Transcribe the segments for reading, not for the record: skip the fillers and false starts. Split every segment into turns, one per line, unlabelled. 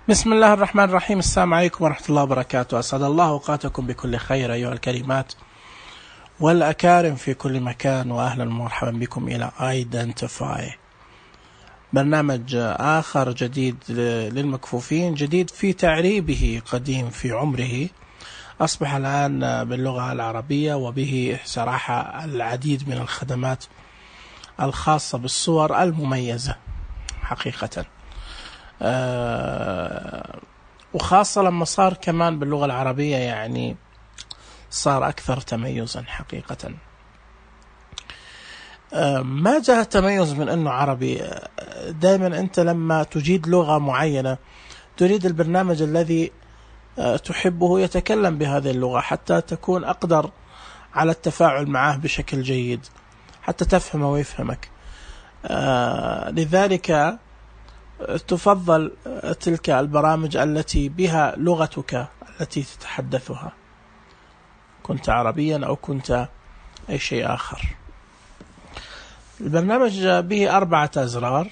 بسم الله الرحمن الرحيم. السلام عليكم ورحمة الله وبركاته. أسعد الله أوقاتكم بكل خير أيها الكريمات والأكارم في كل مكان، وأهلا ومرحبا بكم إلى Identify، برنامج آخر جديد للمكفوفين، جديد في تعريبه، قديم في عمره، أصبح الآن باللغة العربية، وبه صراحة العديد من الخدمات الخاصة بالصور المميزة حقيقة، وخاصة لما صار كمان باللغة العربية، يعني صار أكثر تميزا حقيقة. ما جاء التميز من أنه عربي. دائما أنت لما تجيد لغة معينة تريد البرنامج الذي تحبه يتكلم بهذه اللغة، حتى تكون أقدر على التفاعل معه بشكل جيد، حتى تفهمه ويفهمك. لذلك تفضل تلك البرامج التي بها لغتك التي تتحدثها، كنت عربيا أو كنت أي شيء آخر. البرنامج به 4 أزرار.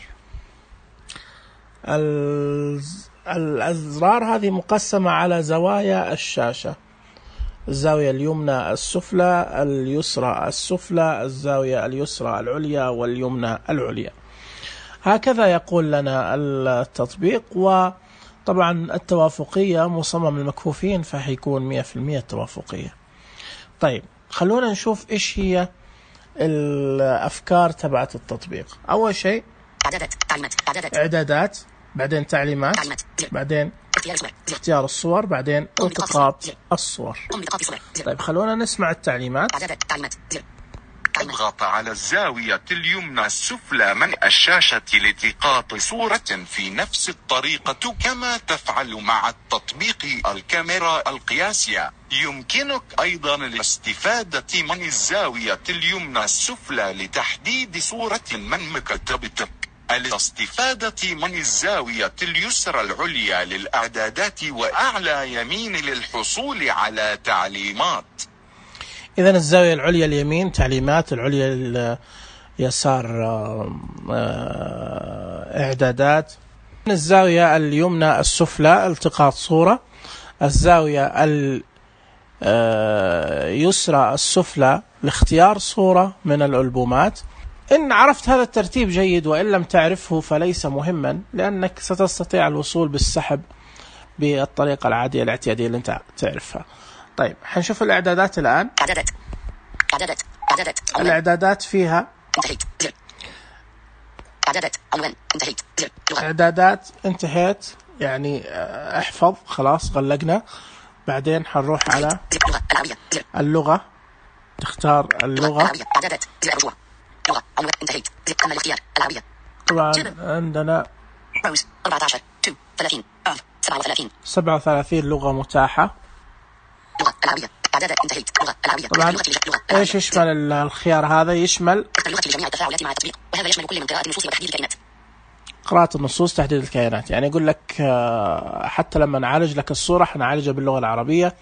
الأزرار هذه مقسمة على زوايا الشاشة: الزاوية اليمنى السفلى، اليسرى السفلى، الزاوية اليسرى العليا، واليمنى العليا. هكذا يقول لنا التطبيق. وطبعا التوافقية مصمم للمكفوفين، فهيكون 100% توافقية. طيب، خلونا نشوف إيش هي الأفكار تبعت التطبيق. أول شيء إعدادات، بعدين تعليمات، بعدين اختيار الصور، بعدين التقاط الصور. طيب، خلونا نسمع التعليمات.
اضغط على الزاوية اليمنى السفلى من الشاشة لالتقاط صورة في نفس الطريقة كما تفعل مع التطبيق الكاميرا القياسية. يمكنك أيضا الاستفادة من الزاوية اليمنى السفلى لتحديد صورة من مكتبتك. الاستفادة من الزاوية اليسرى العليا للإعدادات، وأعلى يمين للحصول على تعليمات.
إذن الزاوية العليا اليمين تعليمات، العليا اليسار إعدادات. الزاوية اليمنى السفلى التقاط صورة، الزاوية اليسرى السفلى لاختيار صورة من الألبومات. إن عرفت هذا الترتيب جيد، وإن لم تعرفه فليس مهما، لأنك ستستطيع الوصول بالسحب بالطريقة العادية الاعتيادية اللي أنت تعرفها. طيب، حنشوف الإعدادات الآن. الإعدادات فيها إعدادات انتهيت، يعني احفظ، خلاص غلقنا. بعدين حنروح على اللغة، تختار اللغة. طبعا عندنا 37 لغة متاحة. طبعا ايش يشمل الخيار هذا؟ يشمل قراءة النصوص، تحديد الكيانات. يعني يقول لك حتى لما نعالج لك الصورة حنعالجها باللغة العربية،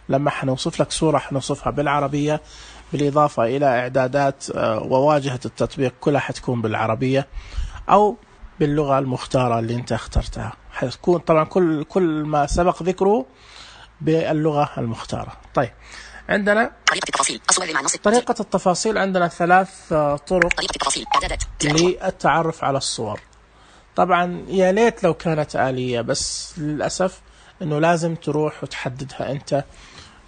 لما حنوصف لك صورة حنوصفها بالعربية، بالإضافة إلى إعدادات وواجهة التطبيق كلها حتكون بالعربية أو باللغة المختارة اللي انت اخترتها. حتكون طبعا كل ما سبق ذكره باللغة المختارة. طيب، عندنا طريقة التفاصيل. عندنا 3 طرق للتعرف على الصور. طبعا يا ليت لو كانت آلية، بس للأسف أنه لازم تروح وتحددها أنت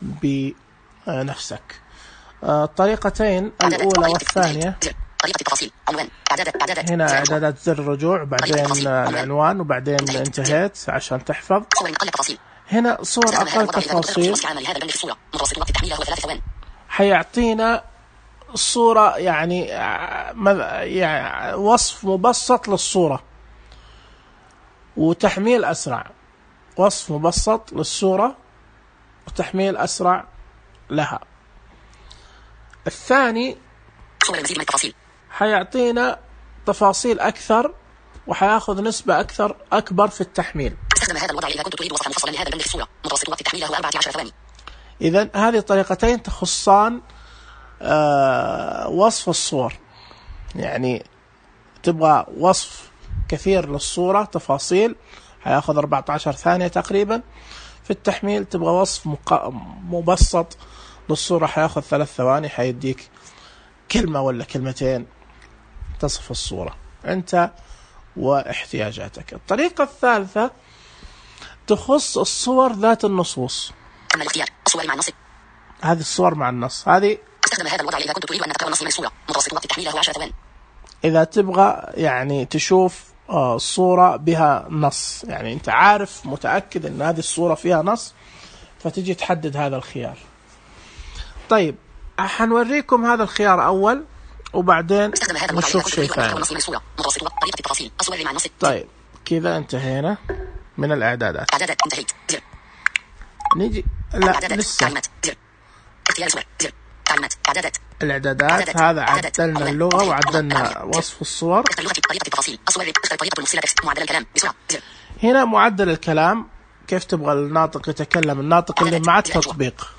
بنفسك. الطريقتين الأولى والثانية، هنا إعدادات زر الرجوع، بعدين العنوان، وبعدين انتهيت عشان تحفظ. هنا صور أقل تفاصيل، حيعطينا الصورة، يعني وصف مبسط للصورة وتحميل أسرع. وصف مبسط للصورة وتحميل أسرع لها. الثاني حيعطينا تفاصيل أكثر، وحياخذ نسبة أكبر في التحميل.
استخدم هذا الوضع إذا كنت تريد وصفا مفصلا لهذا البند في الصورة. متوسط وقت التحميل هو 14 ثواني.
إذن هذه الطريقتين تخصان وصف الصور، يعني تبغى وصف كثير للصورة، تفاصيل، هياخذ 14 ثانية تقريبا. في التحميل تبغى وصف مبسط للصورة هياخذ 3 ثواني، هيديك كلمة ولا كلمتين تصف الصورة أنت واحتياجاتك. الطريقة الثالثة تخص الصور ذات النصوص.
كمل الاختيار الصور مع النص.
هذه الصور مع النص، هذه
استخدم هذا الوضع إذا كنت تريد أن تقرأ النص من الصورة. متوسط وقت التحميل هو 10 ثواني.
إذا تبغى يعني تشوف صورة بها نص، يعني أنت عارف متأكد أن هذه الصورة فيها نص، فتجي تحدد هذا الخيار. طيب حنوريكم هذا الخيار أول وبعدين نشوف شيء ثاني. طيب كذا انتهينا من الإعدادات. نيجي لا لسه الإعدادات. هذا عدلنا اللغة وعدلنا وصف الصور. هنا معدل الكلام، كيف تبغى الناطق يتكلم، الناطق اللي مع التطبيق.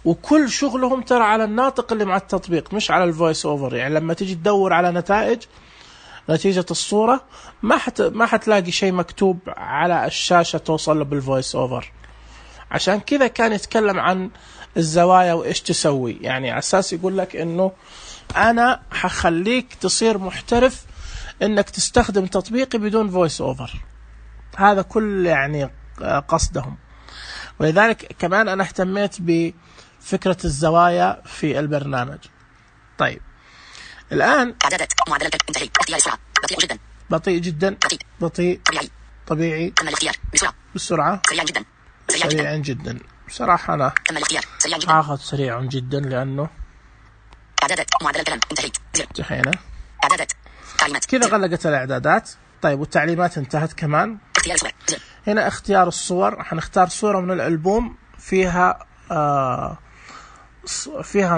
وكل شغلهم ترى على الناطق اللي مع التطبيق مش على الفويس اوفر. يعني لما تيجي تدور على نتيجة الصورة ما حتلاقي شيء مكتوب على الشاشة توصل له بالفويس اوفر. عشان كذا كان يتكلم عن الزوايا وإيش تسوي، يعني على أساس يقول لك إنه أنا حخليك تصير محترف إنك تستخدم تطبيقي بدون فويس أوفر. هذا كل يعني قصدهم. ولذلك كمان أنا اهتميت بفكرة الزوايا في البرنامج. طيب الآن
إعدادات معدل انتهي. اختيار السرعة بطيء جدا.
بطيء جدا. بطيء. طبيعي.
كمل الاختيار
بسرعة.
سريعا جدا.
سريعا جدا. بصراحة أنا هاخذ سريع جدا لأنه
إعدادات معدل الكلام انتهيت.
انتهينا.
إعدادات تعليمات
كذا غلقت الإعدادات. طيب والتعليمات انتهت كمان.
اختيار الصور.
هنا اختيار الصور، حنختار صورة من الألبوم فيها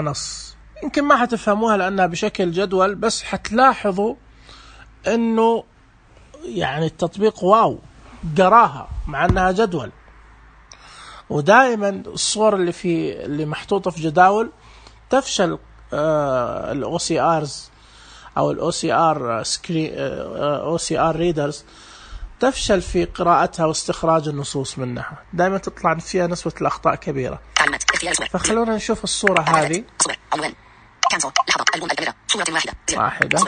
نص. يمكن ما حتفهموها لأنها بشكل جدول، بس حتلاحظوا إنه يعني التطبيق واو قراها مع أنها جدول. ودائما الصور اللي محطوطة في جداول تفشل ال OCRs أو ال OCR readers تفشل في قراءتها واستخراج النصوص منها، دائما تطلع فيها نسبة الأخطاء كبيرة. فخلونا نشوف الصورة هذه واحدة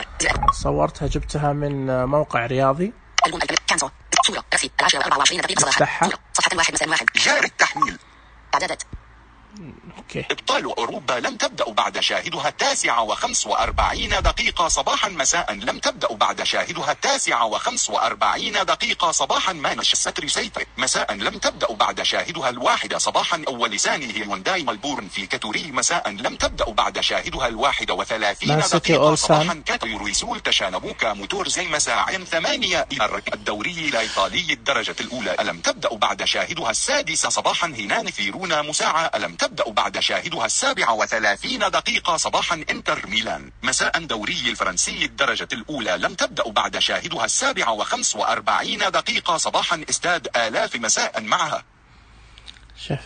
صورتها، جبتها من موقع رياضي. افتحها.
جاري التحميل.
إعدادات.
إبطال أوروبا لم تبدأ بعد شاهدها 9:45 دقيقة صباحا مساء. لم تبدأ بعد شاهدها 9:45 دقيقة صباحا. مانشستر سيتي مساء. لم تبدأ بعد شاهدها 1 صباحا. ولسانه هيونداي ملبورن في كاتوري مساء. لم تبدأ بعد شاهدها 31 دقيقة صباحا. كاتوريسول تشانبوكا موتورزي مساء 8. الدوري الإيطالي الدرجة الأولى. ألم تبدأ بعد شاهدها 6 صباحا. هنان فيرونا مساعة. ألم تبدأ بعد شاهدها 37 دقيقة صباحا. انتر ميلان مساء. دوري الفرنسي الدرجة الأولى. لم تبدأ بعد شاهدها 7:45 دقيقة صباحا. استاد آلاف مساء معها.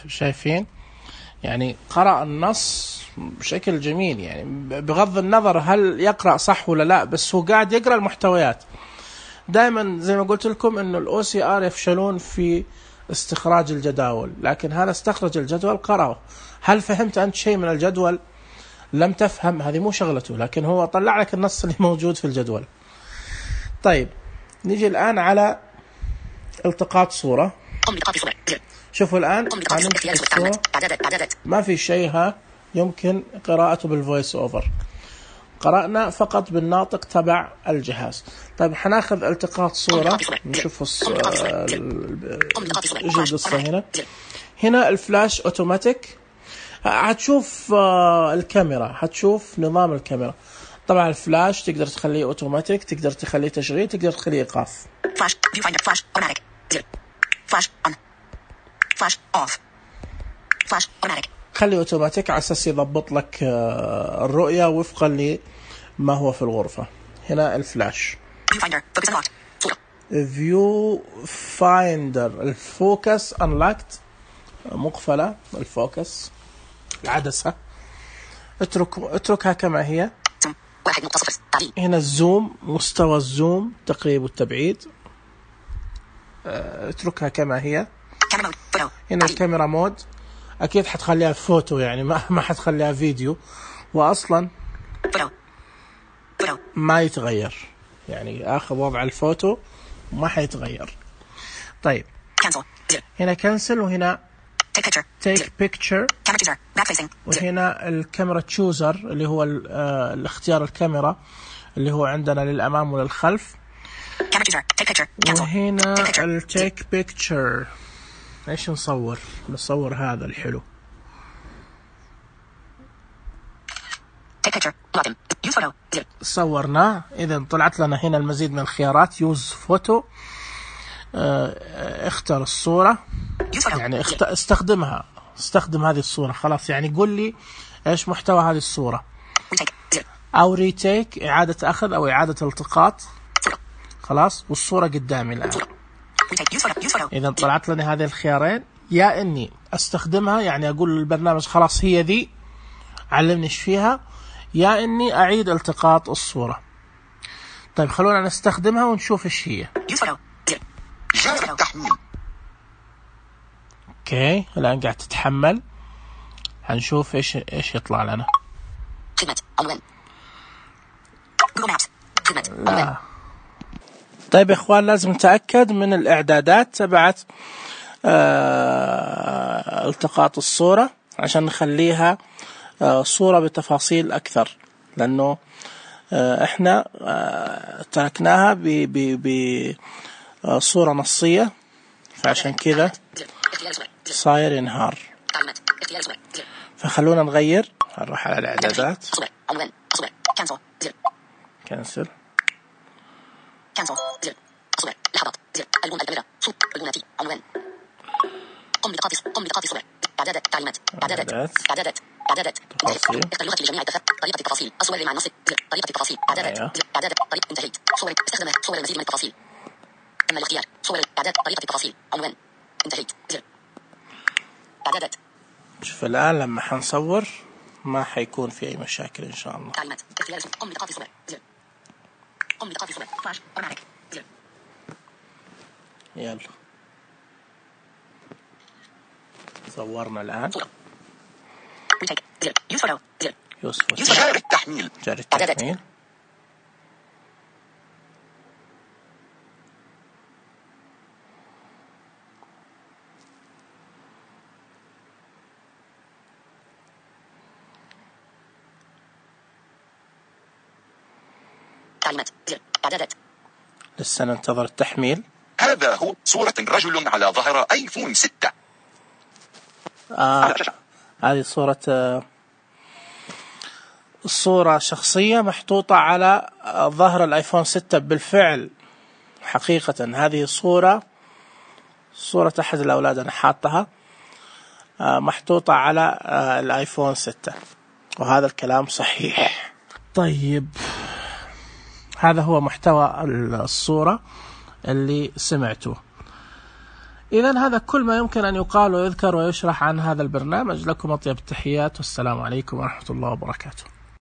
شايفين يعني قرأ النص بشكل جميل، يعني بغض النظر هل يقرأ صح ولا لا، بس هو قاعد يقرأ المحتويات. دائما زي ما قلت لكم إنه ال OCR يفشلون في استخراج الجداول، لكن هذا استخرج الجدول قرأه. هل فهمت أنت شيء من الجدول؟ لم تفهم، هذه مو شغلته، لكن هو طلع لك النص اللي موجود في الجدول. طيب نيجي الآن على التقاط صورة. شوفوا الآن ما في شيء يمكن قراءته بالفويس أوفر، قرأنا فقط بالناطق تبع الجهاز. طيب حناخذ التقاط صورة نشوف ايش القصة. هنا الفلاش اوتوماتيك، هتشوف الكاميرا، هتشوف نظام الكاميرا. طبعا الفلاش تقدر تخليه اوتوماتيك، تقدر تخليه تشغيل، تقدر تخليه ايقاف.
فلاش فيو فايندر فلاش اوتوماتيك فلاش اون فلاش اوف فلاش اوتوماتيك.
خليه اوتوماتيك على اساس يضبط لك الرؤية وفقا لما هو في الغرفة. هنا الفلاش فيو فايندر الفوكس انلاكت مقفلة، الفوكس العدسة اتركها كما هي. هنا الزوم، مستوى الزوم، تقريب والتبعيد. اتركها كما هي.
Camera mode. Photo.
هنا الكاميرا مود، أكيد حتخليها فوتو يعني ما حتخليها فيديو، وأصلا
Photo. Photo.
ما يتغير، يعني آخر وضع الفوتو ما حيتغير. طيب
Cancel. Zero.
هنا كنسل، وهنا
Take picture.
take picture،
Camera chooser. Back facing. Zero.
وهنا الكاميرا تشوزر اللي هو الاختيار الكاميرا اللي هو عندنا للأمام وللخلف.
Camera chooser. Take picture. Cancel.
وهنا
Take picture.
التيك بيكتشر. ايش نصور هذا الحلو.
Take picture. Login. Use photo. Zero.
صورناه، إذا طلعت لنا هنا المزيد من الخيارات. يوز فوتو، اختر الصورة،
Use photo.
يعني
Zero.
استخدم هذه الصورة. خلاص يعني قل لي ايش محتوى هذه الصورة.
Retake. Zero.
او ريتيك، اعادة اخذ او اعادة التقاط.
Photo.
خلاص، والصورة قدامي الان.
Retake. Use photo. Use photo.
اذا طلعت لنا هذه الخيارين، يا اني استخدمها يعني اقول للبرنامج خلاص هي ذي علمني ايش فيها، يا اني اعيد التقاط الصورة. طيب خلونا نستخدمها ونشوف ايش هي.
Use photo. Zero.
جاء التحميل.
اوكي الان قاعد تتحمل، هنشوف ايش يطلع لنا.
خدمة. عنوان. Google Maps. خدمة.
لا.
عنوان.
طيب يا اخوان، لازم نتأكد من الاعدادات تبعت التقاط الصورة عشان نخليها صورة بتفاصيل اكثر، لانه احنا تركناها بصورة نصية، فعشان كذا
اختيار الصورة. Zero.
صاير ينهار.
تعليمات. اختيار الصورة. Zero.
فخلونا نغير، نروح على الاعدادات.
صورة. عنوان. صورة. Cancel. Zero.
كنسل.
Cancel. Zero. صورة. لحظات. Zero. ألوان الكاميرا. صوت. ألواناتي. عنوان. قم بإيقاف صورة. إعدادات. تعليمات. إعدادات.
تفاصيل.
اختر لغة لجميع الدفع. طريقة التفاصيل. الصور مع النص. طريقة التفاصيل. إعدادات.
أيوه.
إعدادات. طريقة انتهيت. صور. استخدم صور المزيد من التفاصيل. تم الاختيار. صور. إعداد. طريقة التفاصيل. عنوان. انتهيت. Zero. إعدادات.
شوف الآن لما حنصور ما حيكون في أي مشاكل إن شاء الله.
تعليمات. اختيار اسم. قم بإيقاف صورة. Zero. قم بإيقاف صورة. فلاش. automatic. Zero.
يلا صورنا الآن.
صورة. retake. Zero. use photo. Zero.
يوسف
جاء التحميل.
جاري التحميل.
تعليمات. Zero. إعدادات.
لسه ننتظر التحميل.
هذا هو صورة رجل على ظهر ايفون 6.
هذه الصورة شخصية محطوطة على ظهر الايفون 6 بالفعل. حقيقة هذه صورة احد الاولاد انا حاطها محطوطة على الايفون 6، وهذا الكلام صحيح. طيب هذا هو محتوى الصورة اللي سمعتوه. إذن هذا كل ما يمكن أن يقال ويذكر ويشرح عن هذا البرنامج. لكم أطيب التحيات، والسلام عليكم ورحمة الله وبركاته.